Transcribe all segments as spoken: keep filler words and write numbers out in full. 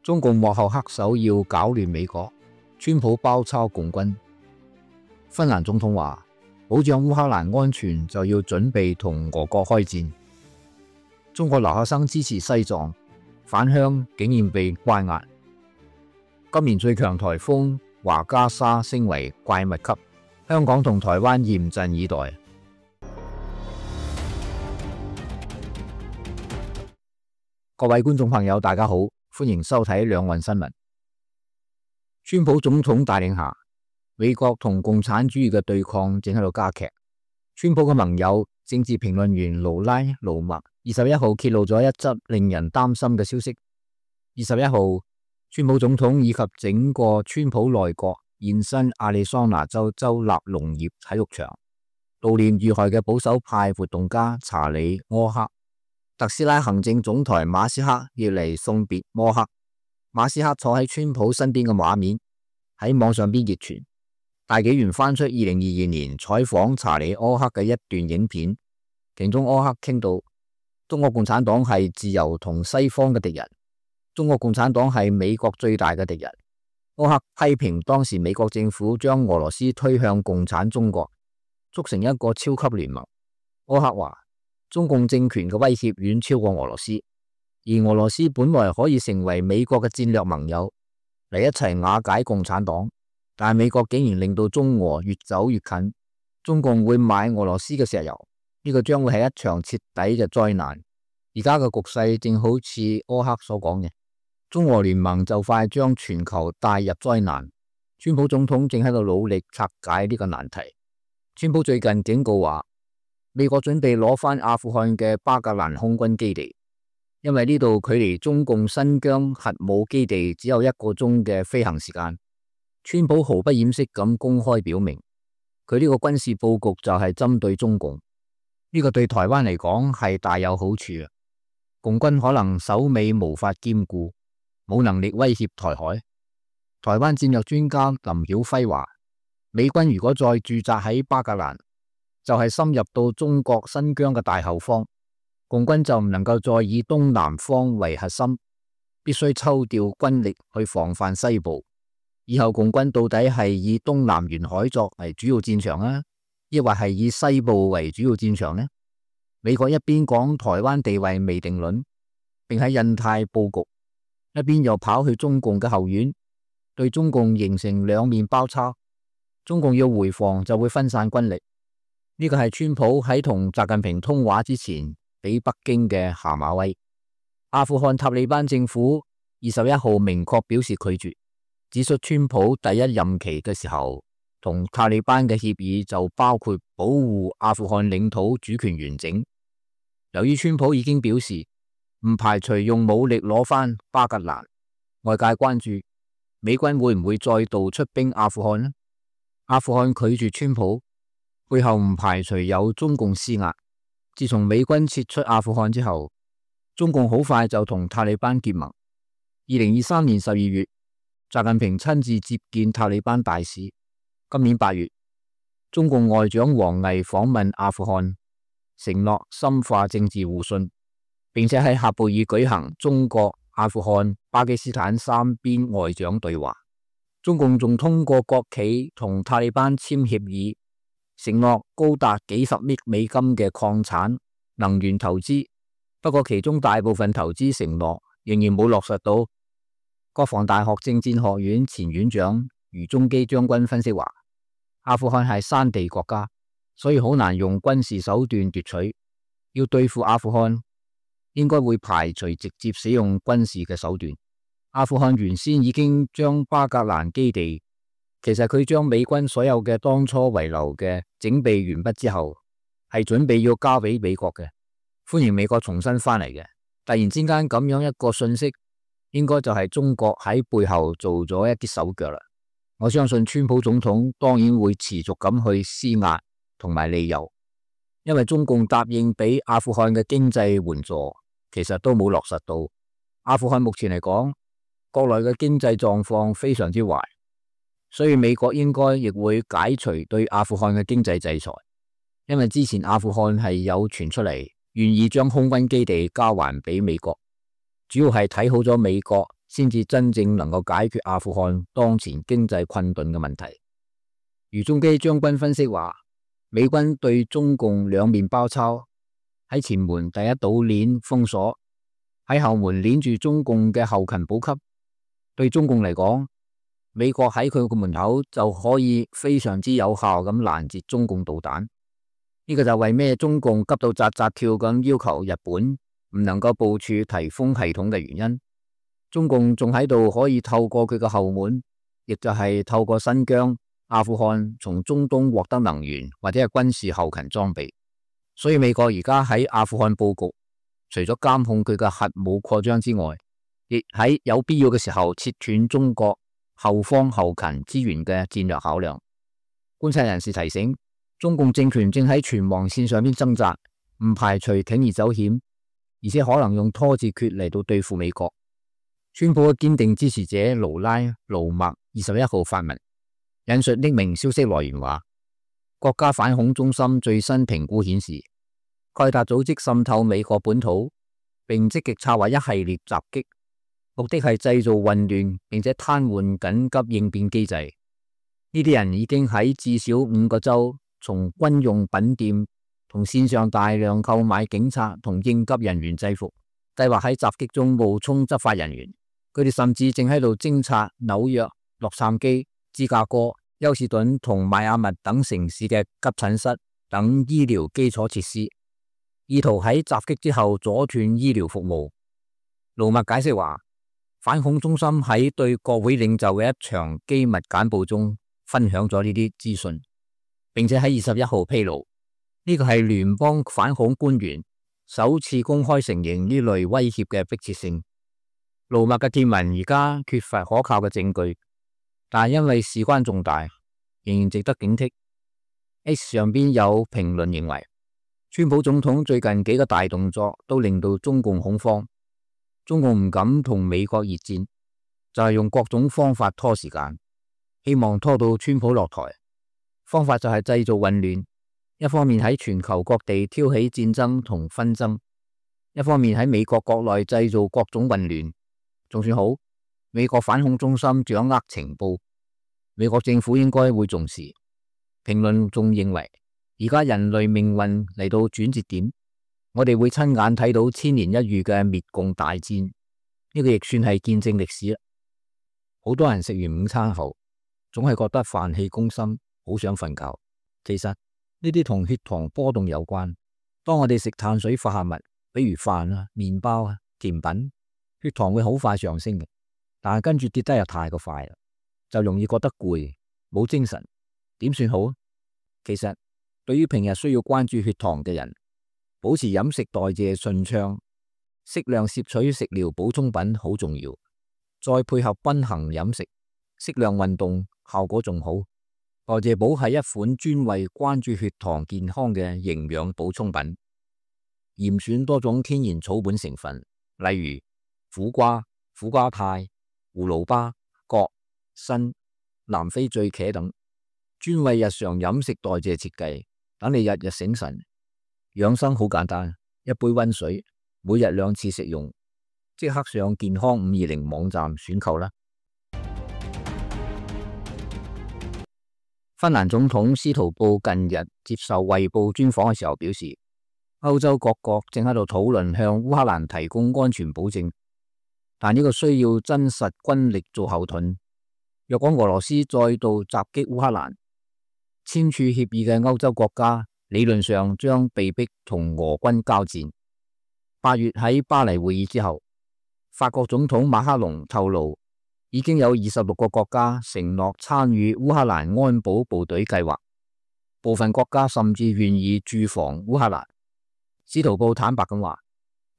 中共幕後黑手要搞亂美國，川普包抄共軍。芬蘭總統話：保障烏克蘭安全就要準備同俄國開戰。中國留學生支持西藏返鄉，竟然被關押。今年最強颱風華加莎升為怪物級，香港同台灣嚴陣以待。各位觀眾朋友，大家好，歡迎收睇兩岸新聞。川普總統帶領下，美國同共產主義嘅對抗正喺度加劇。川普嘅盟友政治評論員勞拉·盧默二十一號揭露咗一則令人擔心嘅消息。二十一號，川普總統以及整個川普內閣現身亞利桑那州州立農業體育場悼念遇害嘅保守派活動家查理·柯克。特斯拉行政總裁馬斯克要嚟送別柯克。馬斯克坐喺川普身邊嘅畫面喺網上邊熱傳。大紀元翻出二零二二年採訪查理柯克嘅一段影片，其中柯克傾到中國共產黨係自由同西方嘅敵人，中國共產黨係美國最大嘅敵人。柯克批評當時美國政府將俄羅斯推向共產中國，促成一個超級聯盟。柯克話：中共政權嘅威脅遠超過俄羅斯，而俄羅斯本來可以成為美國嘅戰略盟友嚟一齊瓦解共產黨，但係美國竟然令到中俄越走越近，中共會買俄羅斯嘅石油，呢個將會係一場徹底嘅災難。而家嘅局勢正好似柯克所講嘅，中俄聯盟就快將全球帶入災難。川普總統正喺度努力拆解呢個難題。川普最近警告話，美國準備攞返阿富汗嘅巴格蘭空軍基地，因為呢度距離中共新疆核武基地只有一個鐘嘅飛行時間。川普毫不掩飾咁公開表明，佢呢個軍事佈局就係針對中共。呢個對台灣嚟講係大有好處啊！共軍可能首尾無法兼顧，冇能力威脅台海。台灣戰略專家林曉輝話，美軍如果再駐紮喺巴格蘭，就係深入到中國新疆嘅大後方，共軍就唔能夠再以東南方為核心，必須抽調軍力去防範西部。以後共軍到底係以東南沿海作為主要戰場啊，抑或係以西部為主要戰場呢？美國一邊講台灣地位未定論，並喺印太佈局，一邊又跑去中共嘅後院，對中共形成兩面包抄。中共要回防就會分散軍力。呢個係川普喺同習近平通話之前俾北京嘅下馬威。阿富汗塔利班政府二十一號明確表示拒絕，指出川普第一任期嘅時候同塔利班嘅協議就包括保護阿富汗領土主權完整。由於川普已經表示唔排除用武力攞返巴格蘭，外界關注美軍會唔會再度出兵阿富汗呢？阿富汗拒絕川普，背後唔排除有中共施壓。自從美軍撤出阿富汗之後，中共好快就同塔利班結盟。二零二三年十二月，習近平親自接見塔利班大使。今年八月，中共外長王毅訪問阿富汗，承諾深化政治互信，並且喺喀布爾舉行中國、阿富汗、巴基斯坦三邊外長對話。中共仲通過國企同塔利班簽協議，承諾高達幾十億美金嘅礦產、能源投資，不過其中大部分投資承諾仍然冇落實到。國防大學政戰學院前院長余中基將軍分析話，阿富汗係山地國家，所以好難用軍事手段奪取。要對付阿富汗，應該會排除直接使用軍事嘅手段。阿富汗原先已經將巴格蘭基地，其實佢將美軍所有嘅當初遺留嘅整備完畢之後，係準備要交俾美國嘅，歡迎美國重新翻嚟嘅。突然之間咁樣一個訊息，應該就係中國喺背後做咗一啲手腳啦。我相信川普總統當然會持續咁去施壓同埋利誘，因為中共答應俾阿富汗嘅經濟援助，其實都冇落實到。阿富汗目前嚟講，國內嘅經濟狀況非常之壞，所以美國應該亦會解除對阿富汗嘅經濟制裁。因為之前阿富汗係有傳出嚟願意將空軍基地交還俾美國，主要係睇好咗美國先至真正能夠解決阿富汗當前經濟困頓嘅問題。余宗基將軍分析話，美軍對中共兩面包抄，喺前門第一島鏈封鎖，喺後門鏈住中共嘅後勤補給。對中共嚟講，美國喺佢個門口就可以非常之有效咁攔截中共導彈。呢個就為咩中共急到扎扎跳咁要求日本唔能夠部署提風系統嘅原因。中共仲喺度可以透過佢嘅後門，亦就係透過新疆、阿富汗從中東獲得能源或者係軍事後勤裝備。所以美國而家喺阿富汗布局，除咗監控佢嘅核武擴張之外，亦喺有必要嘅時候切斷中國後方後勤資源嘅戰略考量。觀察人士提醒，中共政權正喺存亡線上邊掙扎，唔排除鋌而走險，而且可能用拖字訣嚟到對付美國。川普嘅堅定支持者盧拉盧默二十一號發文，引述匿名消息來源話，國家反恐中心最新評估顯示，蓋達組織滲透美國本土，並積極策劃一系列襲擊，目的係製造混亂，並且癱瘓緊急應變機制。呢啲人已經喺至少五個州從軍用品店同線上大量購買警察同應急人員制服，計劃喺襲擊中冒充執法人員。佢哋甚至正喺度偵察紐約、洛杉磯、芝加哥、休士頓同邁阿密等城市嘅急診室等醫療基礎設施，意圖喺襲擊之後阻斷醫療服務。盧默解釋話，反恐中心喺對國會領袖嘅一場機密簡報中分享咗呢啲資訊，並且喺二十一號披露，呢個係聯邦反恐官員首次公開承認呢類威脅嘅迫切性。盧默嘅貼文而家缺乏可靠嘅證據，但係因為事關重大，仍然值得警惕。X 上邊有評論認為，川普總統最近幾個大動作都令到中共恐慌，中共唔敢同美國熱戰，就係用各種方法拖時間，希望拖到川普落台。方法就係製造混亂，一方面喺全球各地挑起戰爭同紛爭，一方面喺美國國內製造各種混亂。仲算好，美國反恐中心掌握情報，美國政府應該會重視。評論仲認為，而家人類命運嚟到轉折點，我哋會親眼睇到千年一遇嘅滅共大戰，呢個亦算係見證歷史啦。好多人食完午餐後，總係覺得飯氣攻心，好想瞓覺。其實呢啲同血糖波動有關。當我哋食碳水化合物，比如飯啊、麵包啊、甜品，血糖會好快上升嘅，但係跟住跌得又太過快啦，就容易覺得攰，冇精神，點算好？其實對於平日需要關注血糖嘅人，保持飲食代謝順暢，適量攝取食療補充品好重要，再配合均衡飲食、適量運動，效果仲好。代謝寶係一款專為關注血糖健康嘅營養補充品，嚴選多種天然草本成分，例如苦瓜、苦瓜肽、葫蘆巴、葛、參、南非醉茄等，專為日常飲食代謝設計，等你日日醒神。養生好簡單，一杯溫水，每日兩次食用，即刻上健康五二零網站選購啦。芬蘭總統斯圖布近日接受衛報專訪嘅時候表示，歐洲各國正喺度討論向烏克蘭提供安全保證。但呢個需要真實軍力做後盾。若果俄羅斯再度襲擊烏克蘭，簽署協議嘅歐洲國家理論上將被逼同俄軍交戰。八月喺巴黎會議之後，法國總統馬克龍透露，已經有二十六個國家承諾參與烏克蘭安保部隊計劃，部分國家甚至願意駐防烏克蘭。司徒布坦白咁話，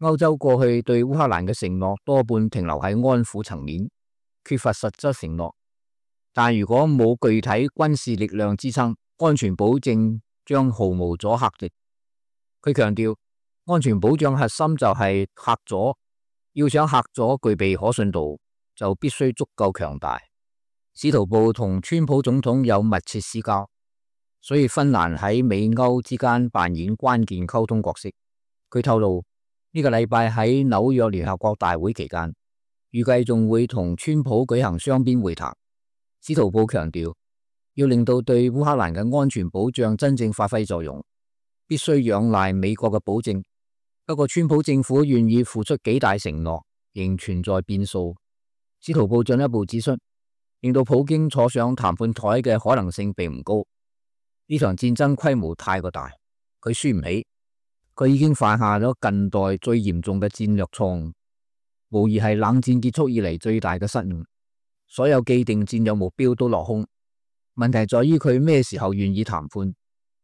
歐洲過去對烏克蘭嘅承諾多半停留喺安撫層面，缺乏實質承諾。但如果冇具體軍事力量支撐，安全保證將毫無阻嚇力。佢強調，安全保障核心就係嚇阻，要想嚇阻具備可信度，就必須足夠強大。司徒布同川普總統有密切私交，所以芬蘭喺美歐之間扮演關鍵溝通角色。佢透露，呢個禮拜喺紐約聯合國大會期間，預計仲會同川普舉行雙邊會談。司徒布強調，要令到對烏克蘭嘅安全保障真正發揮作用，必須仰賴美國嘅保證。不過，川普政府願意付出幾大承諾，仍存在變數。司徒布進一步指出，令到普京坐上談判台嘅可能性並唔高。呢場戰爭規模太過大，佢輸唔起。佢已經犯下咗近代最嚴重嘅戰略錯誤，無疑係冷戰結束以嚟最大嘅失誤。所有既定戰略目標都落空。問題在於佢咩時候願意談判，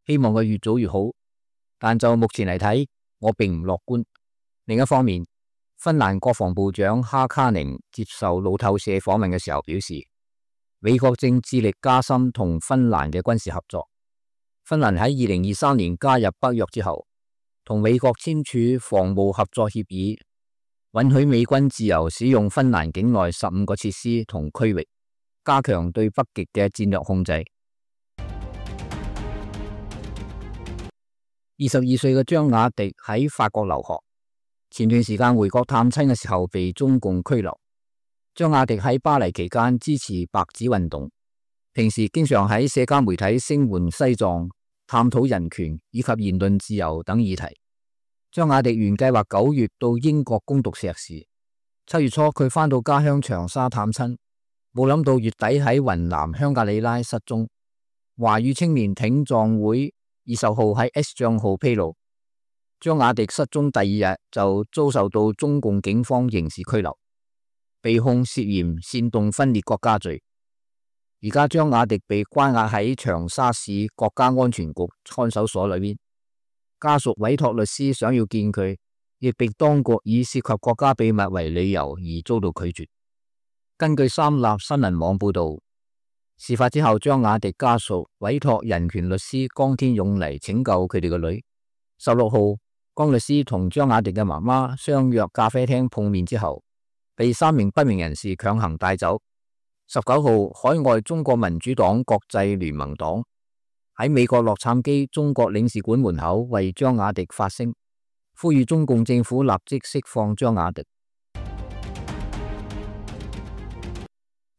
希望佢越早越好。但就目前嚟睇，我並唔樂觀。另一方面，芬蘭國防部長哈卡寧接受路透社訪問嘅時候表示，美國正致力加深同芬蘭嘅軍事合作。芬蘭喺二零二三年加入北約之後，同美國簽署防務合作協議，允許美軍自由使用芬蘭境內十五個設施同區域，加強對北極嘅戰略控制。二十二歲嘅張雅迪喺法國留學，前段時間回國探親嘅時候被中共拘留。張雅迪喺巴黎期間支持白紙運動，平時經常喺社交媒體聲援西藏，探討人權以及言論自由等議題。張雅迪原計劃九月到英國攻讀碩士，七月初佢返到家鄉長沙探親，冇諗到月底喺雲南香格里拉失蹤。華語青年挺藏會二十號喺 X 賬號披露，張雅迪失蹤第二日就遭受到中共警方刑事拘留，被控涉嫌煽動分裂國家罪。而家張雅迪被關押喺長沙市國家安全局看守所裏邊，家屬委託律師想要見佢，亦被當局以涉及國家秘密為理由而遭到拒絕。根據三立新聞網報道，事發之後，張雅迪家屬委託人權律師江天勇嚟拯救佢哋個女。十六號，江律師同張雅迪嘅媽媽相約咖啡廳碰面之後，被三名不明人士強行帶走。十九號，海外中國民主黨國際聯盟黨喺美國洛杉磯中國領事館門口為張雅迪發聲，呼籲中共政府立即釋放張雅迪。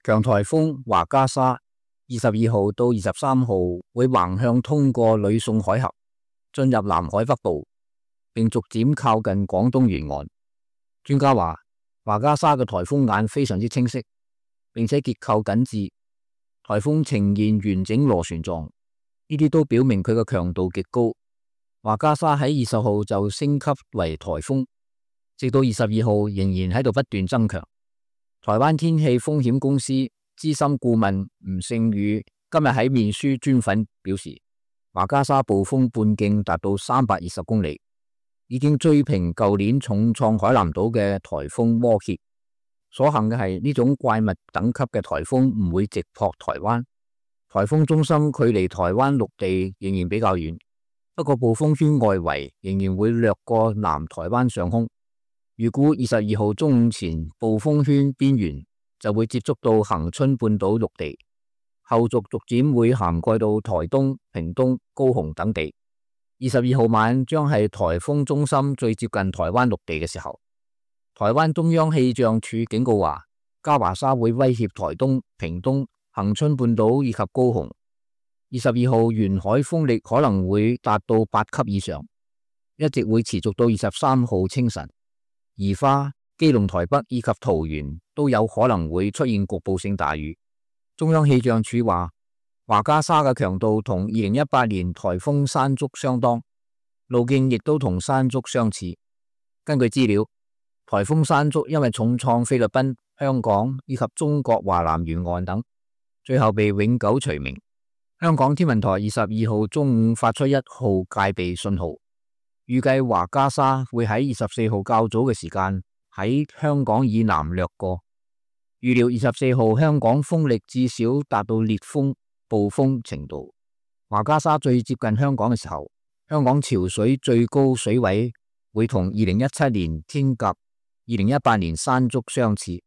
強颱風華加莎二十二號到二十三號會橫向通過呂宋海峽，進入南海北部，並逐漸靠近廣東沿岸。專家話，華加莎嘅颱風眼非常之清晰，並且結構緊緻，颱風呈現完整螺旋狀，呢啲都表明佢嘅強度極高。華加莎喺二十號就升級為颱風，直到二十二號仍然喺度不斷增強。台灣天氣風險公司資深顧問吳勝宇今日喺面書專訪表示，華加莎暴風半徑達到三百二十公里，已經追平舊年重創海南島嘅颱風摩羯。所幸嘅係呢種怪物等級嘅颱風唔會直撲台灣，颱風中心距離台灣陸地仍然比較遠，不過暴風圈外圍仍然會掠過南台灣上空。預估二十二號中午前，暴風圈邊緣就會接觸到恆春半島陸地，後續逐漸會涵蓋到台東、屏東、高雄等地。二十二號晚將係颱風中心最接近台灣陸地嘅時候。台灣中央氣象署警告話，嘉華沙會威脅台東、屏東、恆春半島以及高雄。二十二號沿海風力可能會達到八級以上，一直會持續到二十三號清晨。宜花、基隆、台北以及桃園都有可能會出現局部性大雨。中央氣象署話，華加莎嘅強度同二零一八年颱風山竹相當，路徑亦都同山竹相似。根據資料，颱風山竹因為重創菲律賓、香港以及中國華南沿岸等，最後被永久除名。香港天文台二十二號中午發出一號戒備信號，預計華加莎會喺二十四號較早嘅時間喺香港以南掠過。預料二十四號香港風力至少達到烈風、暴風程度。華加莎最接近香港嘅時候，香港潮水最高水位會同二零一七年天鴿、二零一八年山竹相似。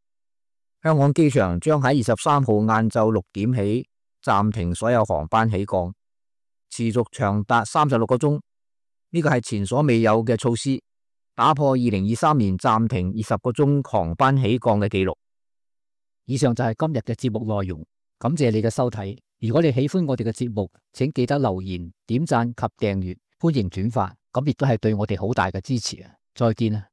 香港機場將喺二十三號晏晝六點起暫停所有航班起降，持續長達三十六個鐘。呢個係前所未有嘅措施，打破二零二三年暫停二十個鐘航班起降嘅紀錄。以上就係今日嘅節目內容，感謝你嘅收睇。如果你喜歡我哋嘅節目，請記得留言、點讚及訂閱，歡迎轉發，咁亦都係對我哋好大嘅支持啊！再見啊！